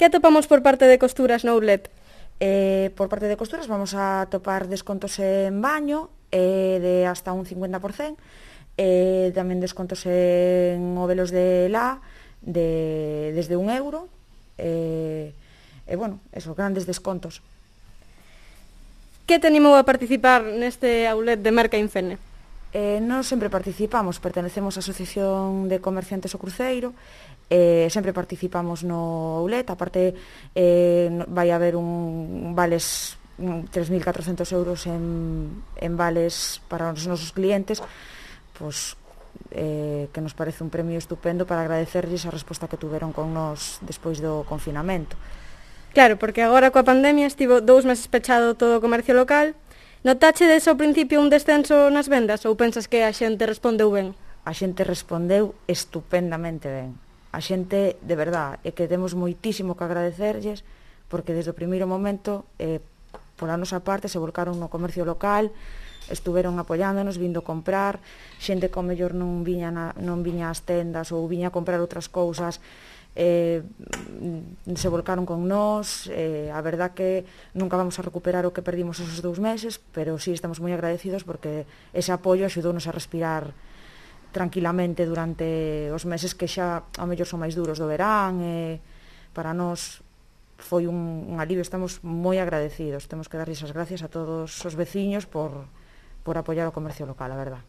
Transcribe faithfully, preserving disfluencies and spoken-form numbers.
Que atopamos por parte de costuras no outlet? Eh, por parte de costuras vamos a topar descontos en baño eh, de hasta un cincuenta por cento, eh, tamén descontos en ovelos de la de, desde un euro, e eh, eh, bueno, eso, grandes descontos. Que te animou a participar neste outlet de Merca Infene? Eh, nós sempre participamos, pertenecemos á Asociación de Comerciantes O Cruceiro, eh, sempre participamos no outlet, aparte eh, vai haber un vales tres mil catrocentos euros en, en vales para os nosos clientes, pois, eh, que nos parece un premio estupendo para agradecerlles a resposta que tuveron con nós despois do confinamento. Claro, porque agora coa pandemia estivo dous meses pechado todo o comercio local. Notache desde o principio un descenso nas vendas ou pensas que a xente respondeu ben? A xente respondeu estupendamente ben. A xente, de verdad, é que temos moitísimo que agradecerlles porque desde o primeiro momento, eh, pola nosa parte, se volcaron no comercio local, estuveron apoiándonos, vindo comprar, xente que ao mellor non viña, na, non viña ás tendas ou viña a comprar outras cousas, Eh, se volcaron con nós, eh, a verdad que nunca vamos a recuperar o que perdimos esos dous meses, pero sí estamos moi agradecidos porque ese apoio axudounos a respirar tranquilamente durante os meses que xa ao mellor son máis duros do verán, e para nós foi un, un alivio, estamos moi agradecidos, temos que darlles as gracias a todos os veciños por, por apoiar o comercio local, a verdad.